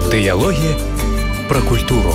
Дыялогі пра культуру.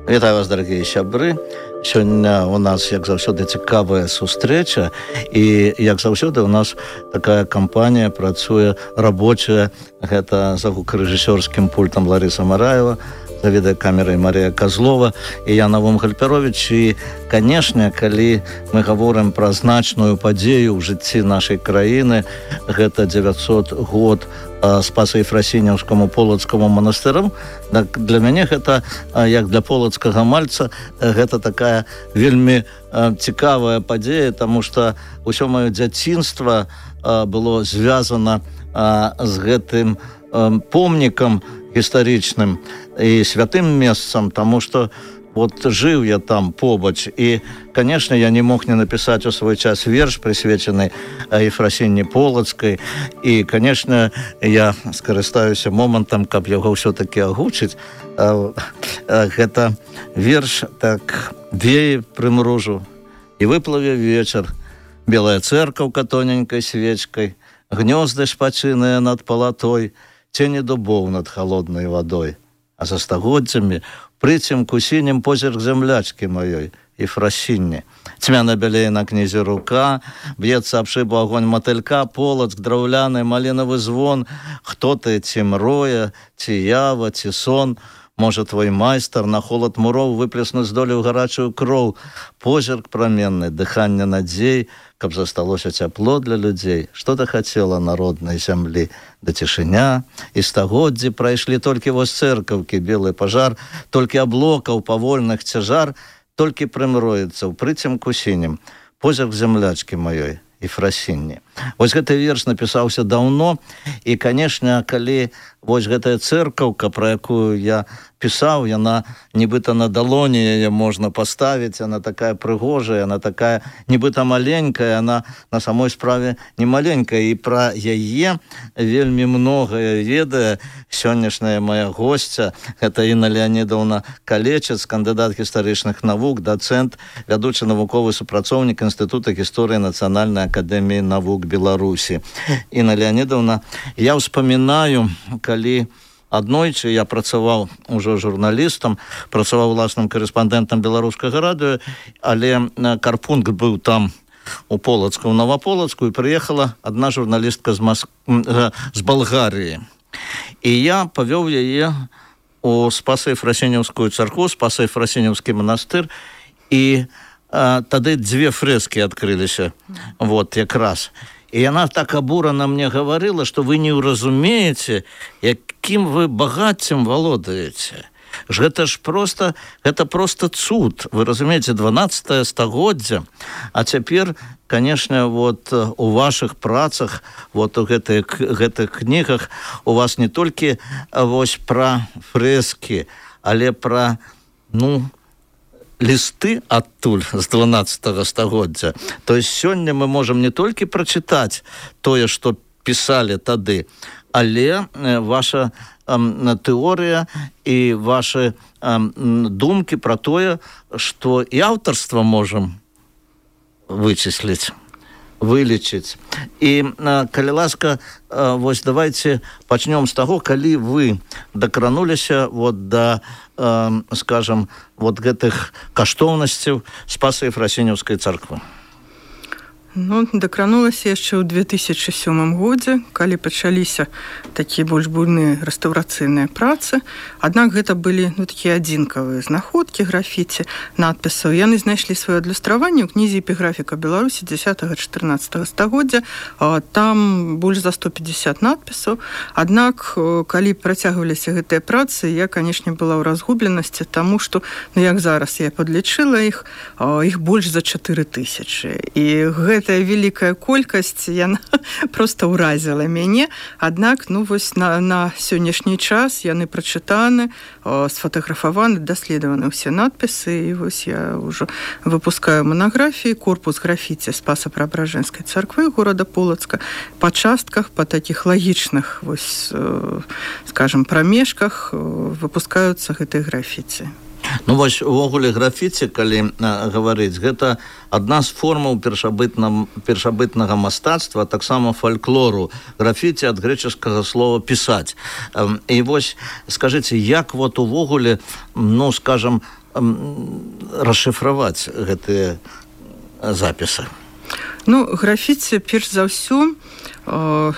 Вітаю вас, дарагія сябры. Сёння у нас, як заўсёды, цікавая сустрэча. І, як заўсёды, у нас такая кампанія працуе рабочая. Гэта за гукарэжысёрскім пультам Ларыса Мараева, за відэакамерай Марія Козлова і я Навум Гальперович. І, канешне, калі мы гаворым пра значную падзею ў жыцці нашай краіны, гэта 900 год Спаса-Ефрасіняўскаму полацкаму манастырам, так для мяне гэта, як для полацкага мальца, гэта такая вельмі цікавая падзея, таму што ўсё маё дзяцінства было звязана з гэтым помнікам гістарычным і святым месцам, таму што вот жыў я там побач, і, конечно, я не мог не напісаць у свой час верш, прысвечаны Ефрасіні Полацкай, і, конечно, я скарыстаюся момантам, каб яго ўсё-таки агучыць. Гэта верш так вее прымружу, і выплыве вечар, белая цэркаўка тоненькай свечкай, гнёзды шпачыныя над палатой, цені дубоў над холоднай вадой, а за стагоддзямі прыцемку сінім позірк зямлячкі маёй, Ефрасіні. Цьмяна бялее на кнізе рука, б'ецца аб шыбу агонь матылька, полацк драўляны, малінавы звон. Хто ты, ці мроя, ці ява, ці сон? Можа, твой майстар на холад муроў выплеснуць здолеў гарачую кроў. Позірк праменны, дыханне надзей, каб засталося цяпло для людзей. Што ты хацела на роднай зямлі? Да цішыня, і стагоддзі прайшлі толькі вось цэркаўкі, белы пажар, толькі аблокаў павольных цяжар, толькі прымроецца ў прыцемку сінім позірк зямлячкі маёй, Ефрасіні. Вось гэты верш напісаўся даўно, і, канешне, калі вось гэтая цэркаўка, пра якую я пісаў, яна нібыта на далоні яе можна паставіць, яна такая прыгожая, яна такая нібыта маленькая, яна на самой справе не маленькая, і пра яе вельмі многае ведае сённяшняя моя госця. Гэта Інна Леанідаўна Калечец, кандыдат гістарычных навук, дацэнт, вядучы навуковы супрацоўнік Інстытута гісторыі Нацыянальнай акадэміі навук Беларусі. Інна Леанідаўна, я ўспамінаю, калі аднойчы я працаваў ужо журналістам, працаваў уласным карэспандэнтам беларускага радыё, але карпункт быў там у Полацку, у Новополацку, і прыехала адна журналістка з Балгарыі. І я павёў яе у Спаса-Ефрасіняўскую царкву, Спаса-Ефрасіняўскі манастыр, і тады дзве фрэскі адкрыліся, вот, якраз. І яна так абурана мне гаварыла, што вы не ўразумееце, якім вы багаццем валодаеце. Гэта ж проста, гэта проста цуд. Вы разумееце, 12 стагоддзя. А цяпер, канешне, вот у вашых працах, вот у гэтых кнігах у вас не толькі вось пра фрэскі, але пра, лісты адтуль з 12 стагоддзя. То есть сёння мы можам не толькі прачытаць тое, што пісалі тады, але ваша тэорыя і вашы думкі пра тое, што і аўтарства можам вычысліць, вылічыць. І, калі ласка, вось давайте пачнём з таго, калі вы дакрануліся вот да, скажам, вот гэтых каштоўнасцяў Спаса-Ефрасіняўскай царквы. Дакранулася яшчэ ў 2007 годзе, калі пачаліся такія больш буйныя рэстаўрацыйныя працы. Аднак гэта былі такія адзінкавыя знаходкі графіці, надпісаў. Яны знайшлі сваё адлюстраванне ў кнізе «Эпіграфіка Беларусі» 10-14 стагоддзя. Там больш за 150 надпісаў. Аднак, калі працягваліся гэтыя працы, я, канешне, была ў разгубленасці, таму што, як зараз я падлічыла іх больш за 4000. І гэтая вялікая колькасць, яна проста ўразіла мяне. Аднак, вось на сённяшні час яны прачытаны, сфотаграфаваны, даследаваны ўсе надпісы, і вось я ўжо выпускаю манаграфіі «Корпус графіці Спаса-Преображенскай царквы» горада Полацка. Па частках, па такіх лагічных, вось, скажем, прамежках выпускаюцца гэтыя графіці. Ну вось увогуле графіці, калі гаварыць, гэта адна з формаў першабытнага мастацтва, таксама фальклору. Графіці ад грэчаскага слова пісаць. І вось скажыце, як вот увогуле, ну скажам, расшыфраваць гэтыя запісы? Ну, графіці, перш за ўсё,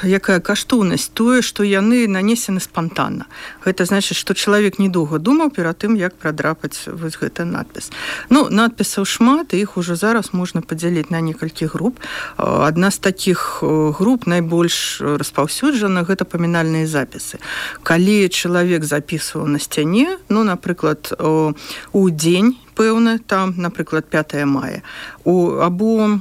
якая каштоўнасць, тое, што яны нанесены спантанна. Гэта значыць, што чалавек недоўга думаў перад тым, як прадрапаць вось гэты надпіс. Ну, надпісаў шмат, і іх ужо зараз можна падзяліць на некалькі груп. Адна з такіх груп найбольш распаўсюджана, гэта памінальныя запісы. Калі чалавек запісваў на сцяне, ну, напрыклад, у дзень пэўны, там, напрыклад, 5 мая, або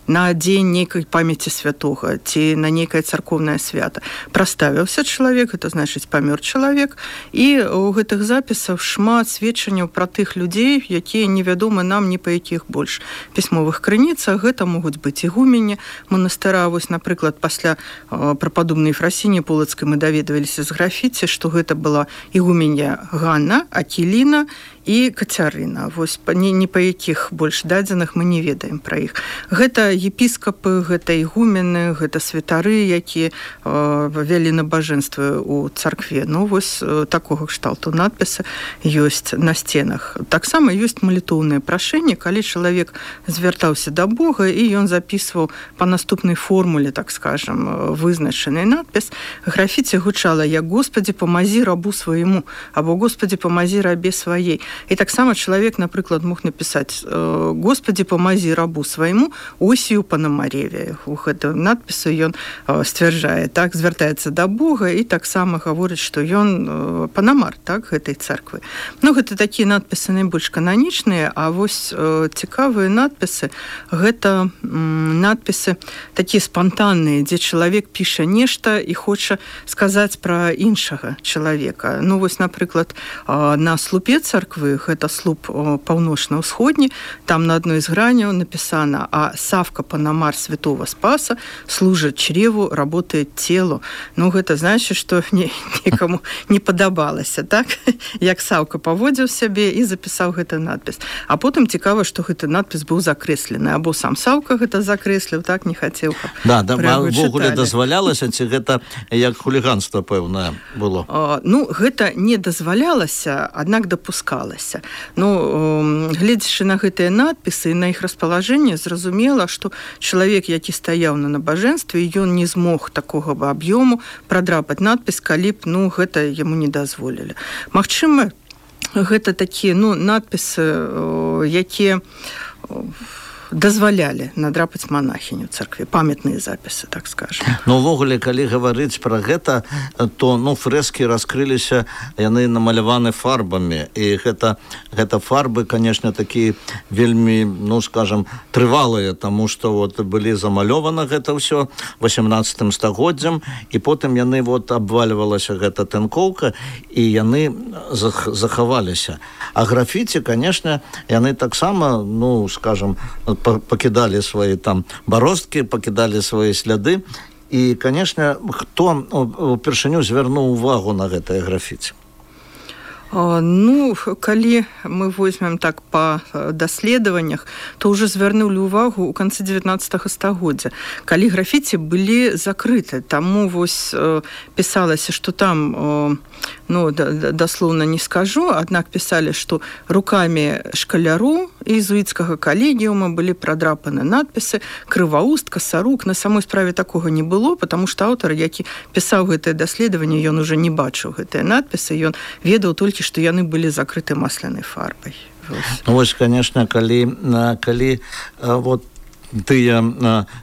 на дзень нейкай памяці святога ці на нейкае царкоўнае свята. Праставіўся чалавек, гэта значыць памёр чалавек, і ў гэтых запісах шмат сведчанняў пра тых людзей, якія невядомы нам ні па якіх больш пісьмовых крыніцах. Гэта могуць быць ігумені манастыра. Вось, напрыклад, пасля прападобнай Ефрасіні Полацкай мы даведваліся з графіці, што гэта была ігуменя Ганна, Акіліна і Кацярына. Вось ні па якіх больш дадзеных мы не ведаем пра іх. Гэта епіскапы, гэта ігумены, гэта святары, якія вялі набажэнствы ў царкве. Ну, вось такога кшталту надпісы ёсць на сценах. Таксама ёсць малітоўныя прашэнні, калі чалавек звяртаўся да Бога, і ён запісваў па наступнай формуле, так скажам, вызначаны надпіс. Графіці гучала як «Господи, помазі рабу свайму» або «Господи, помазі рабе сваей». І таксама чалавек, напрыклад, мог напісаць «Господи, помазі рабу свайму Осію Панамареве». У гэтым надпісу ён сцвярджае, так, звяртаецца да Бога і таксама гаворыць, што ён панамар, так, гэтай царквы. Ну, гэта такія надпісы найбольш кананічныя, а вось цікавыя надпісы, гэта надпісы такія спантанныя, дзе чалавек піша нешта і хоча сказаць пра іншага чалавека. Ну, вось, напрыклад, на слупе царквы, гэта слуп паўночна-ўсходні, там на адной з граняў напісана «А Савка Панамар Святого Спаса служыць чреву, работает телу». Ну, гэта значыць, што некаму не падабалася, так? Як Савка паводзіў сябе і запісаў гэты надпіс. А потым цікава, што гэты надпіс быў закрэслены, або сам Савка гэта закрэсліў, так, не хацеў. Да, ввогуле дазвалялася, ці гэта як хуліганства пэўнае было? Ну, гэта не дазвалялася, аднак дапускалася. Ну, гледзячы на гэтыя надпісы і на іх распалажэнне, зразумела, што чалавек, які стаяў на набажэнстве, ён не змог такога аб'ёму прадрапаць надпіс, калі б, ну, гэта яму не дазволілі. Магчыма, гэта такія, ну, надпісы, якія дазвалялі надрапаць манахіню ў царкве, памятныя запісы, так скажам. Ну, увогуле, калі гаварыць пра гэта, то, ну, фрэскі раскрыліся, яны намаляваны фарбамі, і гэта фарбы, конечно, такія вельмі, ну, скажам, трывалыя, таму што вот былі замалёваны гэта ўсё 18 стагоддзям, і потым яны вот абвальвалася гэта тынкоўка, і яны захаваліся. А графіці, конечно, яны таксама, ну, скажам, пакідалі свае там баросткі, пакідалі свае сляды. І, конечно, хто упершыню звярнуў увагу на гэтае графіці? Ну, калі мы возьмем так па даследаваннях, то ўжо звярнулі ўвагу ў канцы 19 стагоддзя, калі графіці былі закрыты. Таму вось пісалася, што там, ну, даслоўна не скажу, аднак пісалі, што рукамі шкаляру езуіцкага калегіума былі прадрапаны надпісы «Крывауст», «Касарук». На самой справе такога не было, потому што аўтар, які пісаў гэтае даследаванне, ён уже не бачыў гэтыя надпісы, ён ведаў толькі, што яны былі закрыты маслянай фарбай. Ну, вось, конечно, калі вот тыя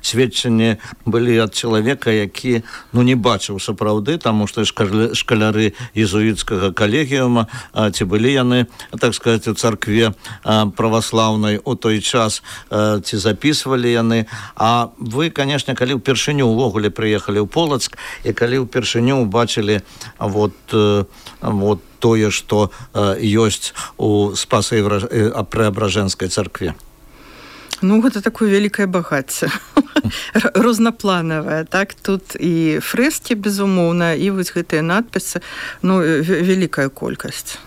сведчанні былі ад чалавека, які, ну, не бачыў сапраўды, таму што шкаляры езуіцкага калегіума, ці былі яны, так сказаць, у царкве праваслаўнай у той час, ці запісвалі яны. А вы, конечно, калі ўпершыню ўвогуле прыехалі ў Полацк, і калі ўпершыню убачылі вот тое, што ёсць у Спасо-Преображэнскай царкве? Ну, гэта такое вялікае багацце, рознапланавае, так, тут і фрэскі, безумоўна, і вось гэтыя надпісы, ну, вялікая колькасць.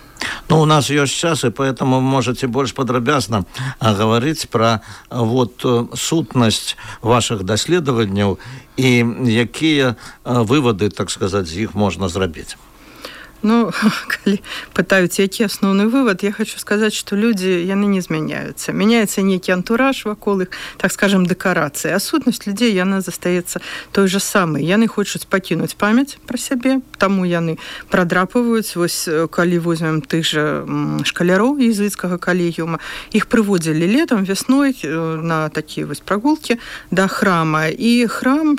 Ну, у нас есть час, и поэтому вы можете больше подробно говорить про сутность ваших даследований и какие выводы, так сказать, из них можно сделать. Ну, калі пытаюць, які асноўны вывод, я хочу сказаць, што людзі, яны не змяняюцца. Мяняецца нейкі антураж вакол іх, так скажем, дэкарацыі. А сутнасць людзей, яна застаецца той же самай. Яны хочуць пакінуць памяць пра сябе, таму яны прадрапваюць. Вось, калі возьмем тых жа шкаляроў езуіцкага калегіума, іх прыводзілі летам, вясной на такія вось прагулкі да храма. І храм,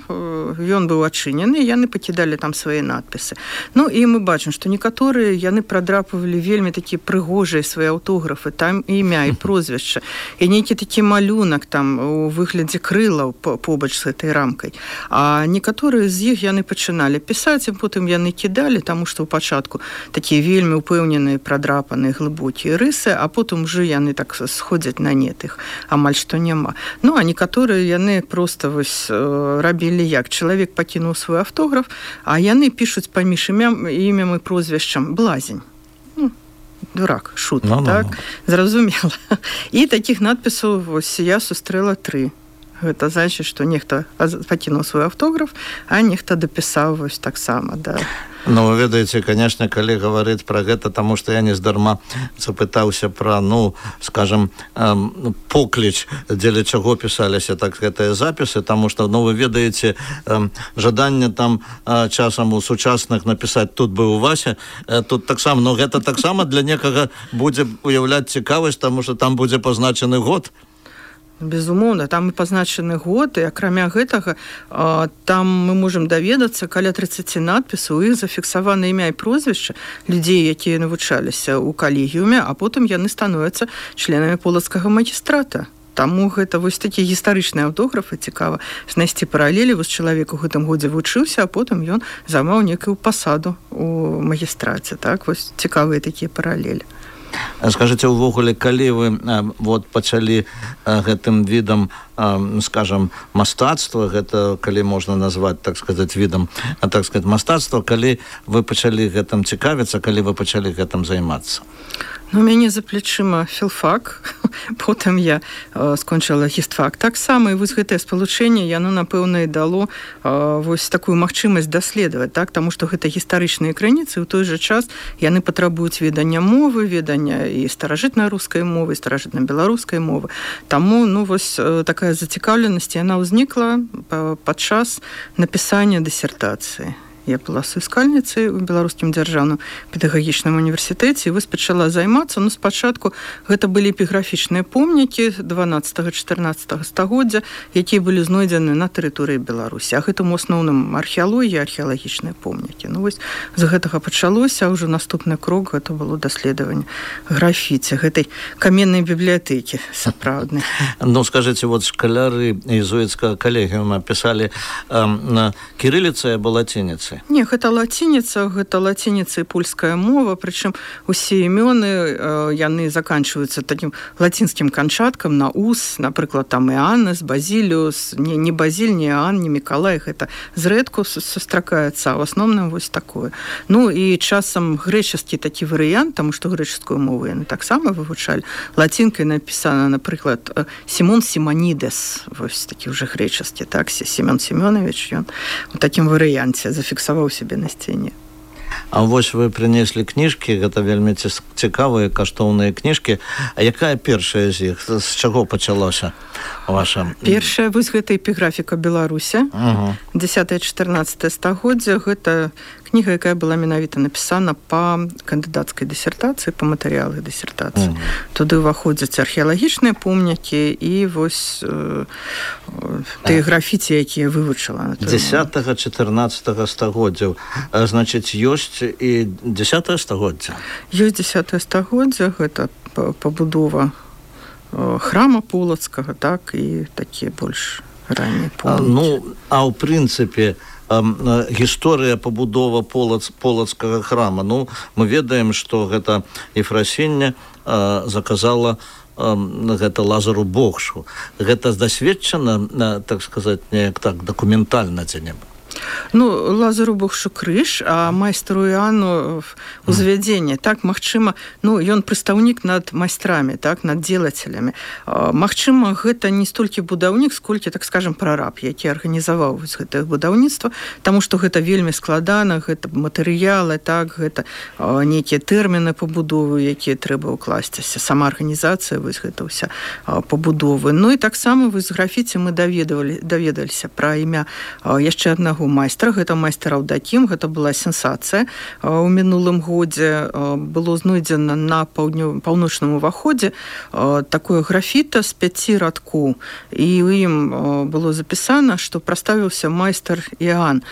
ён быў адчынены, яны пакідалі там свае надпісы. Ну, і мы бачым, што некаторыя яны прадрапвалі вельмі такія прыгожыя свае аўтографы, там імя і прозвішча, і нейкі такі малюнак там у выглядзе крылаў побач з гэтай рамкай. А некаторыя з іх яны пачыналі пісаць, і потым яны кідалі, таму што ў пачатку такія вельмі ўпэўненыя, прадрапаныя, глыбокія рысы, а потым уже яны так сходзяць на нет, іх амаль што няма. Ну, а некаторыя яны проста вось рабілі як? Чалавек пакінуў свой аўтограф, а яны пішуць паміж імем і прозвішчам блазень. Ну, дурак, шут, так? Зразумела. І такіх надпісаў вось я сустрэла 3. Гэта значыць, што нехта пакінуў свой аўтограф, а нехта дапісаў вось таксама, да. Ну, вы ведаеце, конечно, калі гаварыць пра гэта, таму што я нездарма запытаўся пра, ну, скажем, покліч, дзеля чаго пісаліся так гэтыя запісы, таму што, ну, вы ведаеце, жаданне там часам у сучасных напісаць «тут быў Вася», тут таксама, но гэта таксама для некага будзе уяўляць цікавасць, таму што там будзе пазначаны год. Безумоўна, там і пазначаны год, і акрамя гэтага там мы можам даведацца каля 30 надпісаў, іх зафіксавана імя і прозвішча людзей, якія навучаліся ў калегіуме, а потым яны становяцца членамі полацкага магістрата. Таму гэта вось такі гістарычныя аўтографы, цікава знайсці паралелі. Вось чалавек у гэтым годзе вучыўся, а потым ён займаў некую пасаду ў магістраце. Так, вось цікавыя такія паралелі. Скажыце, увогуле, калі вы пачалі гэтым відам, скажам, мастацтва, гэта калі можна назваць, так сказаць, відам, так сказаць, мастацтва, калі вы пачалі гэтым цікавіцца, калі вы пачалі гэтым займацца? Ну, у мяне за плечыма філфак, потым я скончыла гістфак. Таксама, і вось гэтае спалучэнне, яно, напэўна, і дало вось такую магчымасць даследаваць, так? Таму што гэта гістарычныя крыніцы, у той жа час яны патрабуюць ведання мовы, ведання і старажытнай рускай мовы, і старажытна-беларускай мовы. Таму, ну, вось такая зацікаўленасць, яна ўзнікла падчас напісання дысертацыі. Я была суіскальніцай у Беларускім дзяржаўным педагагічным універсітэце і вось пачала займацца. Ну, спачатку гэта былі эпіграфічныя помнікі 12-14 стагоддзя, якія былі знойдзены на тэрыторыі Беларусі. А гэтым у асноўным археалогія, археалагічныя помнікі. Ну, вось з гэтага пачалося, а ўжо наступны крок гэта было даследаванне графіці, гэтай каменнай бібліятэкі сапраўднай. Ну, скажыце, вот шкаляры езуіцкага калегіума пісалі на кірыліцы або лацініцы? Не, гэта лацініца і польская мова, прычым усе імёны, яны заканчваюцца такім лацінскім канчаткам на ус, напрыклад, там Іаннес, Базіліус, не Базіль, не Іан, не Мікалай, гэта зрэдку сустракаецца, а ў асноўным вось такое. Ну, і часам грэчаскі такі варыянт, таму што грэчаскую мову яны таксама вывучалі. Лацінкай напісана, напрыклад, Сімон Сіманідес, вось такі ўжо грэчаскі, так, Семён Семёнович, ён у такім варыянце зафіксаваў сябе на сцэне. А вось вы прынеслі кніжкі, гэта вельмі цікавыя, каштоўныя кніжкі. А якая першая з іх? З чаго пачалося ваша? Першая, вось гэта эпіграфіка Беларуся, 10-14 стагоддзя. Гэта кніга, якая была менавіта напісана па кандыдацкай дысертацыі, па матэрыялах дысертацыі. Туды ўваходзяць археалагічныя помнікі і вось тыя графіці, якія вывучыла. 10-14 стагоддзяў. Значыць, ёсць і 10 стагоддзя? Ёсць 10 стагоддзя, гэта пабудова храма полацкага, так, і такія больш раннія помнікі. Ну, а ў прынцыпе, гісторыя пабудова полацкага храма. Ну, мы ведаем, што гэта Ефрасіння заказала гэта Лазару Богшу. Гэта засведчана, так сказаць, неяк так дакументальна ці не? Ну, Лазару Богшу крыж, а майстру Іану узвядзенне. Так, магчыма, ну, ён прадстаўнік над майстрамі, так, над дзелацелямі. Магчыма, гэта не столькі будаўнік, сколькі, так скажем, прараб, які арганізаваў гэтае будаўніцтва, таму што гэта вельмі складана, гэта матэрыялы, так, гэта нейкія тэрміны пабудовы, якія трэба ўкласціся, сама арганізацыя, вось гэта ўся пабудовы. Ну, і таксама вось з графіці мы даведаліся пра імя яшчэ аднаго майстра, гэта майстар Аўдакім, гэта была сенсацыя. У мінулым годзе было знойдзена на паўночным уваходзе такое графіта з 5 радкоў, і ў ім было запісана, што праставіўся майстар Іан,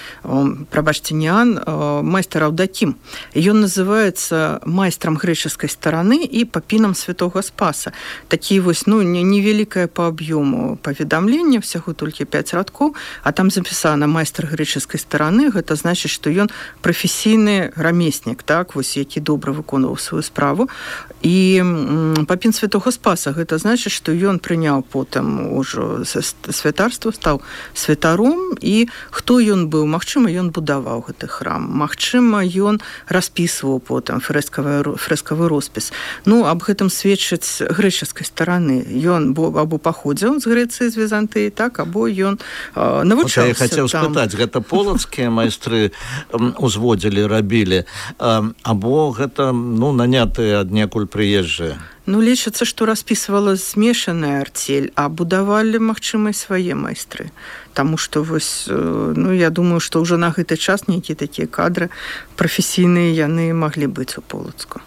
прабачце, не Іан, майстар Аўдакім. Ён называецца майстрам грэчаскай стараны і папінам святога Спаса. Такі вось, ну, невялікае па аб'ёму паведамленне, всяго толькі 5 радкоў, а там запісана майстар грэчаскай стараны, гэта значыць, што ён прафесійны рамеснік, так, вось, які добра выконваў сваю справу. І папін святога Спаса, гэта значыць, што ён прыняў потым ужо святарства, стаў святаром, і хто ён быў? Магчыма, ён будаваў гэты храм, магчыма, ён распісваў потым фрэскавы роспіс. Ну, аб гэтым сведчыць грэчаскай стараны. Ён або паходзіў з Грэцыі, з Візантыі, так, або ён навучаўся. Я хацеў спытаць, гэта полацкія майстры узводзілі, рабілі, або гэта, ну, нанятыя аднекуль прыезджыя? Ну, лічыцца, што распісвала змешаная арцель, а будавалі, магчыма, і свае майстры. Таму што, вось, ну, я думаю, што ўжо на гэты час нейкія такія кадры прафесійныя яны маглі быць у Полацку.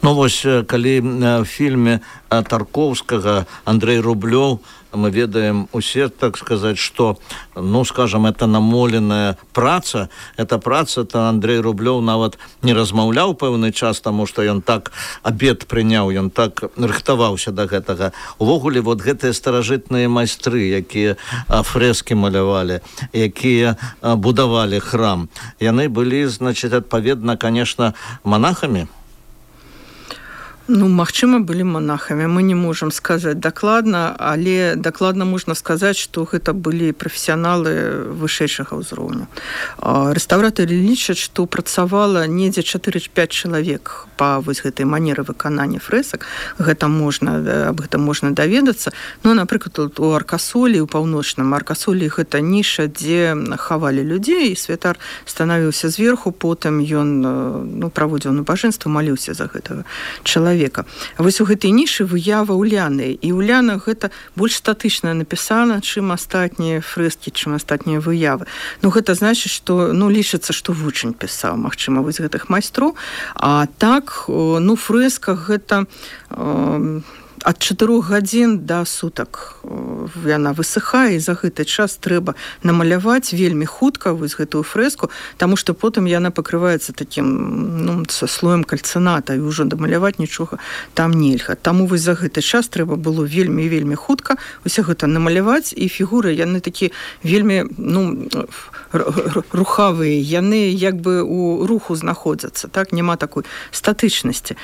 Ну, вось, калі в фільме Тарковскага Андрей Рублёў, мы ведаем усе, так сказаць, што, ну, скажем, это намоленая праца, эта праца, то Андрей Рублёў нават не размаўляў пэўны час, таму што ён так абед прыняў, ён так рыхтаваўся да гэтага. Увогуле, вот гэтыя старажытныя майстры, якія фрэскі малявалі, якія будавалі храм, яны былі, значит, адпаведна, конечно, монахамі? Ну, магчыма, былі монахамі. Мы не можам сказаць дакладна, але дакладна можна сказаць, што гэта былі прафесіяналы вышэйшага ўзроўню. Рэстаўратары лічаць, што працавала недзе 4-5 чалавек па вось гэтай манеры выканання фрэсак. Аб гэтым можна даведацца. Ну, напрыклад, у Аркасолі, у паўночным Аркасолі гэта ніша, дзе хавалі людзей, і святар станавіўся зверху, потым ён, ну, праводзіў набажэнства, маліўся за гэтага чалавека. Вось у гэтай нішы выява Уляны, і Уляна гэта больш статычна напісана, чым астатнія фрэскі, чым астатнія выявы. Ну, гэта значыць, што, ну, лічыцца, што вучань пісаў, магчыма, вось гэтых майстроў. А так, ну, фрэска гэта ад 4 гадзін да сутак яна высыхае, і за гэты час трэба намаляваць вельмі хутка вось гэтую фрэску, таму што потым яна пакрываецца такім, ну, са слоем кальцыната, і ўжо дамаляваць нічога там нельга. Таму вось за гэты час трэба было вельмі хутка усе гэта намаляваць, і фігуры яны такі вельмі, ну, рухавыя, яны як бы у руху знаходзяцца, так, няма такой статычнасці.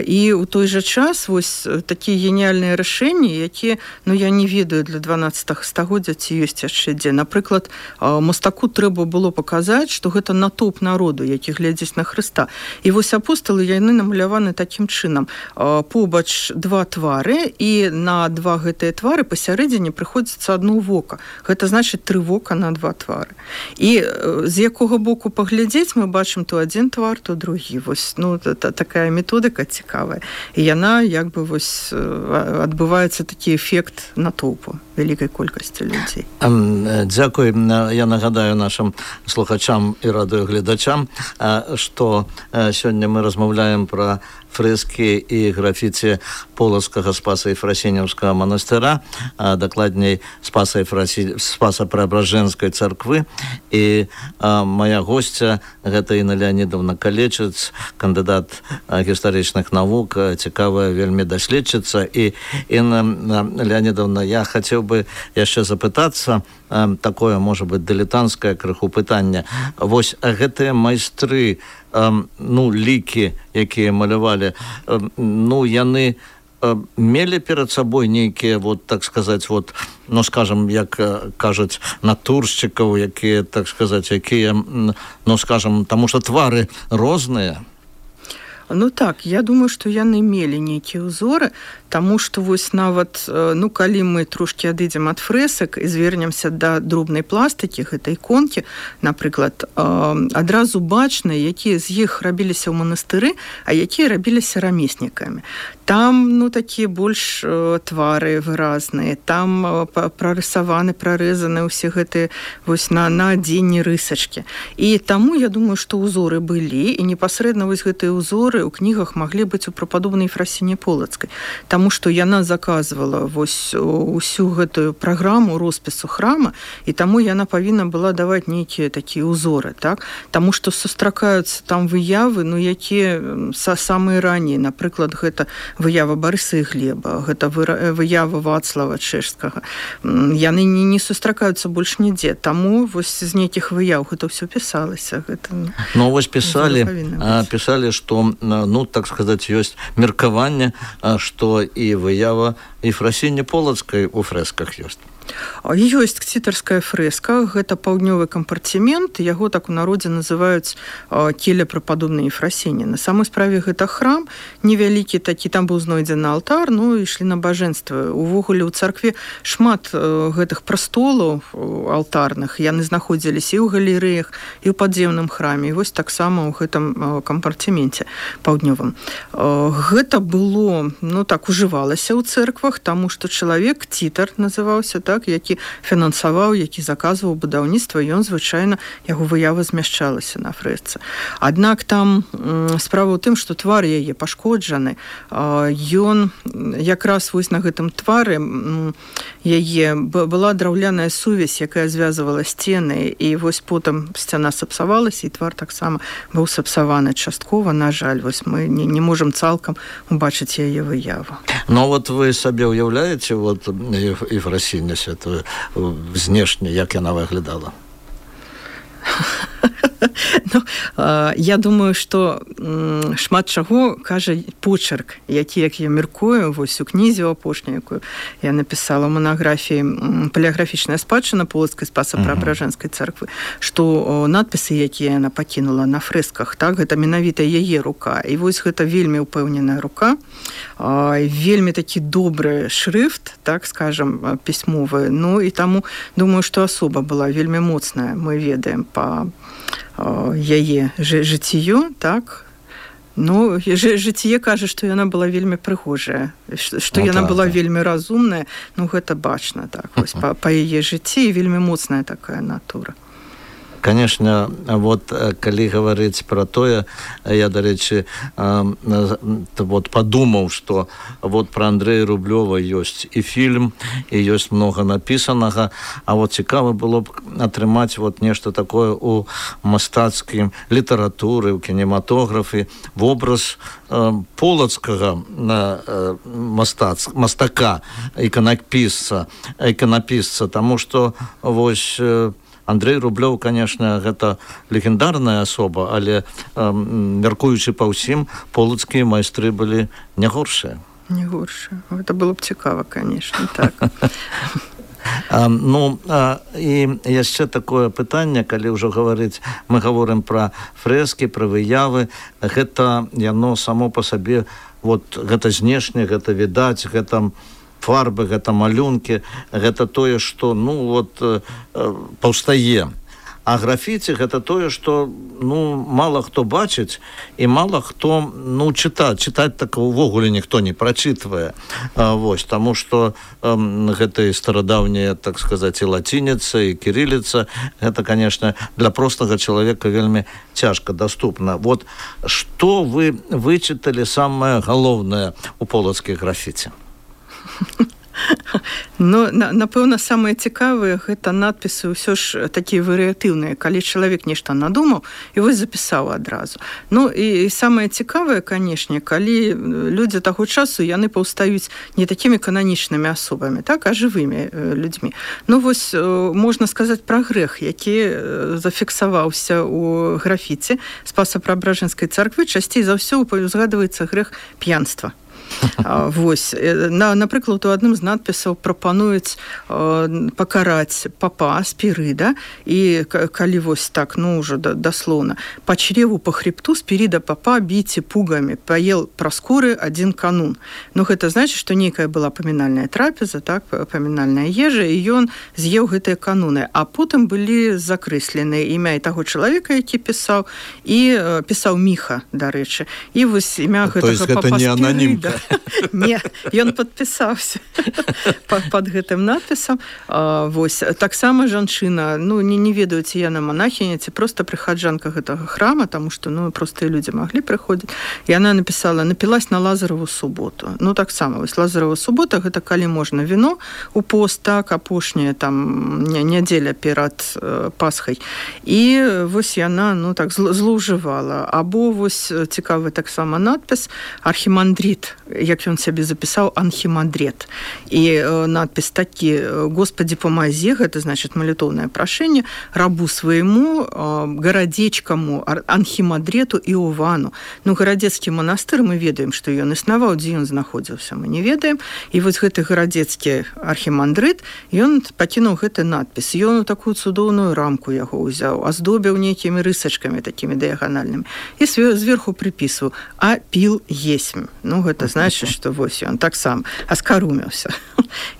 І ў той жа час вось такі геніальныя рашэнні, якія, ну, я не ведаю для 12 стагоддзя, ці ёсць яшчэ дзе. Напрыклад, мастаку трэба было паказаць, што гэта натоўп народу, які глядзіць на Хрыста. І вось апосталы, яны намаляваны такім чынам. Побач 2 твары, і на 2 гэтыя твары пасярэдзіне прыходзіцца одно вока. Гэта значыць 3 вока на 2 твары. І з якога боку паглядзець, мы бачым то адзін твар, то другі. Вось, ну, такая методыка цікавая. І яна, як бы, вось, адбываецца такі эфект натоўпу вялікай колькасці людзей. Дзякуй. Я нагадаю нашим слухачам і радыёгледачам, што сёння мы размаўляем пра фрэскі і графіці Полацкага Спаса-Ефрасінеўскага манастыра, дакладней Спаса-Преображенскай царквы. І моя госця гэта Інна Леонідовна Калечыц, кандыдат гістарычных навук, цікавая вельмі даследчыца. І, Інна Леонідовна, я хацеў бы яшчэ запытацца, такое, можа быць, дылетантскае крыху пытанне. Вось гэтыя майстры, ну, лікі, якія малявалі, ну, яны мелі перад сабой нейкія, вот, так сказаць, вот, ну, скажем, як кажуць, натуршчыкаў, якія, так сказаць, якія, ну, скажем, таму што твары розныя. Ну так, я думаю, што яны мелі нейкія ўзоры, таму што вось нават, ну, калі мы трошкі адыдзем ад фрэсак і звернемся да дробнай пластыкі, гэтай іконкі, напрыклад, адразу бачна, якія з іх рабіліся ў манастыры, а якія рабіліся рамеснікамі. Там, ну, такія больш твары выразныя, там прарысаваны, прарэзаны ўсе гэтыя вось на адзенні рысачкі. І таму, я думаю, што ўзоры былі, і непасрэдна вось гэтыя ўзоры ў кнігах маглі быць у прападобнай Ефрасіні Полацкай. Таму што яна заказвала вось усю гэтую праграму роспісу храма, і таму яна павінна была даваць нейкія такія ўзоры, так? Таму што сустракаюцца там выявы, ну, якія самыя раннія, напрыклад, гэта выява Барыса і Глеба, гэта выява Вацлава Чэшскага. Яны не сустракаюцца больш нідзе, таму вось з нейкіх выяў гэта ўсё пісалася. Гэта, ну, вось пісалі, што, ну, так сказаць, ёсць меркаванне, што і выява Ефрасіні Полацкай у фрэсках ёсць. Ёсць кцітарская фрэска, гэта паўднёвы кампартымент, яго так у народзе называюць келля прападобнай Ефрасіні. На самой справе гэта храм невялікі такі, там быў знойдзены алтар, ну, ішлі набажэнствы. Увогуле ў царкве шмат гэтых прастолаў алтарных, яны знаходзіліся і ў галерэях, і ў падземным храме, і вось таксама ў гэтым кампартыменце паўднёвым. Гэта было, ну, так, ужывалася ў цэрквах, таму што чалавек, цітар называўся, так, які фінансаваў, які заказваў будаўніцтва, ён, звычайна, яго выява змяшчалася на фрэсцы. Аднак там справа ў тым, што твар яе пашкоджаны, ён якраз вось на гэтым твары яе была драўляная сувязь, якая звязвала сцены, і вось потым сцяна сапсавалася, і твар таксама быў сапсаваны часткова, на жаль, вось мы не можам цалкам убачыць яе выяву. Ну, вот вы сабе ўяўляеце, вот, Ефрасіню святую знешне, як яна выглядала? Ну, я думаю, што шмат чаго кажа почерк, які, як я мяркую, вось у кнізе апошняй, якую я напісала ў манаграфіі «Палеаграфічная спадчына Полацкай Спаса-Преабражэнскай царквы», што надпісы, якія яна пакінула на фрэсках, так, гэта менавіта яе рука. І вось гэта вельмі ўпэўненая рука, вельмі такі добры шрыфт, так, скажам, пісьмовы. Ну, і таму думаю, што асоба была вельмі моцная, мы ведаем па яе жыццё, так. Ну, жыццё кажа, што яна была вельмі прыгожая, што яна была вельмі разумная, ну, гэта бачна, так, вось, па яе жыцці, і вельмі моцная такая натура. Конечно, вот калі гаварыць пра тое, я, дарэчы, вот падумаў, што вот пра Андрэя Рублёва ёсць і фільм, і ёсць многа напісанага, а вот цікава было б атрымаць вот нешта такое у мастацкай літаратуры, у кінематографе, вобраз полацкага мастака, іканапісца, таму што вось Андрэй Рублёў, конечно, гэта легендарная асоба, але, мяркуючы па ўсім, полацкія майстры былі не горшыя. Не горшыя. Гэта было б цікава, конечно, так. Ну, і яшчэ такое пытанне, калі ўжо гаварыць, мы гаворым пра фрэскі, пра выявы, гэта яно само па сабе, вот, гэта знешне, гэта відаць, гэта фарбы, гэта малюнкі, гэта тое, што, ну, вот, паўстае. А графіці гэта тое, што, ну, мала хто бачыць, і мала хто, ну, чытаць так увогуле ніхто не прачытвае. Вось, таму што гэта і старадаўняя, так сказаць, і лацініца, і кірыліца, гэта, конечно, для простага чалавека вельмі цяжка даступна. Вот, што вы вычыталі самае галоўнае у полацкай графіці? Ну, напэўна, самыя цікавыя гэта надпісы ўсё ж такія варыятыўныя, калі чалавек нешта надумаў і вось запісаў адразу. Ну, і самае цікавае, канешне, калі людзі таго часу, яны паўстаюць не такімі кананічнымі асобамі, так, а жывымі людзьмі. Ну, вось можна сказаць пра грэх, які зафіксаваўся ў графіці Спаса-Преабражэнскай царквы. Часцей за ўсё узгадваецца грэх п'янства. Вось. Напрыклад, у адным з надпісаў прапануюць пакараць папа Спірыда, і калі вось так, ну, ўжо даслоўна, по чреву, по хребту Спірыда папа біце пугамі, паел праскуры адзін канун. Ну, гэта значыць, што нейкая была памінальная трапеза, так, памінальная ежа, і ён з'еў гэтыя кануны. А потым былі закрэслены імя і таго чалавека, які пісаў, і пісаў Міха, дарэчы. І вось імя гэтага папа Спірыда. Не, ён падпісаўся пад гэтым надпісам. Вось. Таксама жанчына, ну, не ведаю, ці яна монахиня, ці проста прыхаджанка гэтага храма, таму што, ну, простыя людзі маглі прыходзіць. І яна напісала: напілась на Лазарову суботу. Ну, таксама, вось Лазарова субота, гэта калі можна віно у пост, так, апошняя там нядзеля перад Пасхай. І вось яна, ну, так, злоўжывала. Або вось цікавы таксама надпіс архімандрит, як ён сябе запісаў, анхімандрет. І надпіс такі: Господи, помози, гэта значыць малітоўнае прашэнне, рабу свайму, гарадзечкаму, анхімандрету Іовану. Ну, гарадзецкі манастыр, мы ведаем, што ён існаваў, дзе ён знаходзіўся, мы не ведаем. І вось гэты гарадзецкі архімандрыт, ён пакінуў гэты надпіс. Ён у такую цудоўную рамку яго ўзяў, аздобіў нейкімі рысачкамі такімі дыяганальнымі. І зверху прыпісваў: а піл есмь. Ну, гэта значыць, што вось ён таксама аскаруміўся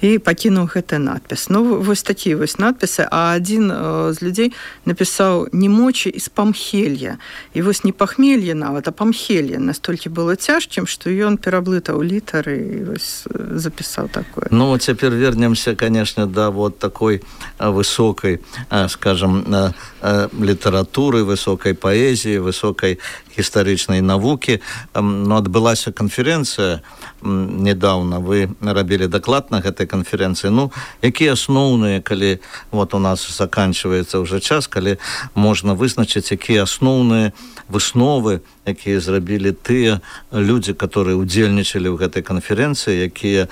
і пакінуў гэты надпіс. Ну, вось такія вось надпісы. А адзін з людзей напісаў: немочі з памхелья. І вось не пахмелье нават, а памхелье настолькі было цяжкім, што ён пераблытаў літары і вось запісаў такое. Ну, цяпер вернемся, конечно, да вот такой высокай, скажем, літаратуры, высокай паэзіі, высокай гістарычнай навукі. Ну, адбылася канферэнцыя недавно, вы рабілі даклад на гэтай канферэнцыі. Ну, якія асноўныя, калі вот у нас заканчиваецца ўжо час, калі можна вызначыць, якія асноўныя высновы, якія зрабілі тыя людзі, которые удзельнічалі ў гэтай канферэнцыі, якія,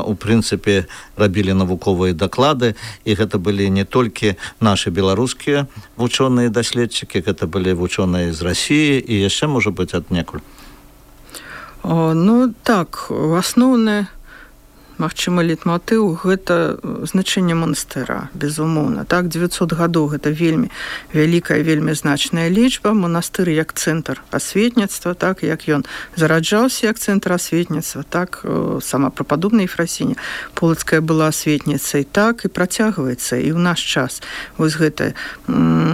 у прынцыпе, рабілі навуковыя даклады, і гэта былі не толькі нашы беларускія вучоныя даследчыкі, гэта былі вучоныя з Расіі і яшчэ, можа быць, аднекуль. Ну, так, асноўнае, магчыма, лейтматыў — гэта значэнне манастыра, безумоўна. Так, 900 гадоў — гэта вельмі вялікая, вельмі значная лічба. Манастыр як цэнтр асветніцтва, так, як ён зараджаўся як цэнтр асветніцтва, так, сама прападобная Ефрасіня Полацкая была асветніцай, так, і працягваецца і ў наш час. Вось гэта.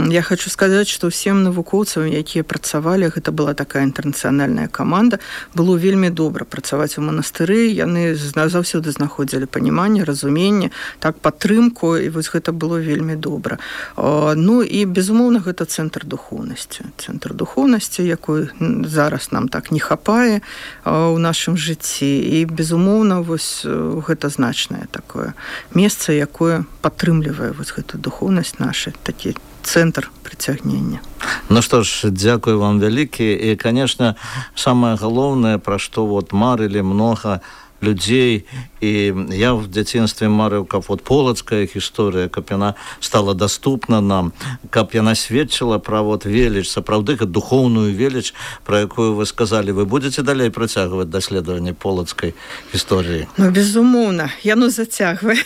Я хочу сказаць, што ўсім навукоўцам, якія працавалі, гэта была такая інтэрнацыянальная каманда, было вельмі добра працаваць у манастыры, яны заўсёды знаходзілі паніманне, разуменне, так, падтрымку, і вось гэта было вельмі добра. Ну, і, безумоўна, гэта цэнтр духоўнасці. Цэнтр духоўнасці, якой зараз нам так не хапае ў нашым жыцці. І, безумоўна, вось гэта значнае такое месца, якое падтрымлівае вось гэту духоўнасць наша, такі цэнтр прыцягнення. Ну што ж, дзякую вам вялікі. І, конечно, самае галоўнае, пра што вот марылі многа людзей, і я в дзяцінстве марыў, каб вот полацкая гісторыя, каб яна стала даступна нам, каб яна сведчыла пра вот веліч, сапраўды духоўную веліч, пра якую вы сказалі. Вы будзеце далей працягваць даследаванне полацкай гісторыі? Ну, безумоўна, яно зацягвае.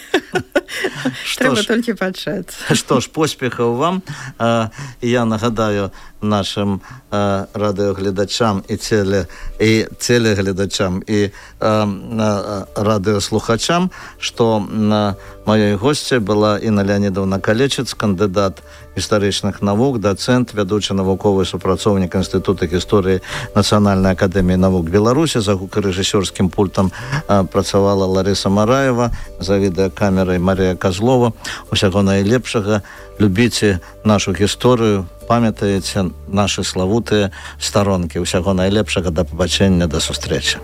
Трэба толькі пачаць. Што ж, поспехаў вам. Я нагадаю нашим радыёгледачам і телегледачам і радыёслухачам, што маёй госцяй была Інна Леонідовна Калечец, кандыдат гістарычных навук, дацэнт, вядучы навуковы супрацоўнік Інстытута гісторыі Нацыянальнай акадэміі навук Беларусі. За гукарэжысёрскім пультам працавала Ларыса Мараева, за відэакамерай Марія Казлова. Усяго найлепшага. Любіце нашу гісторыю, памятаеце нашы славутыя старонкі. Усяго найлепшага, да пабачэння, да сустрэчы.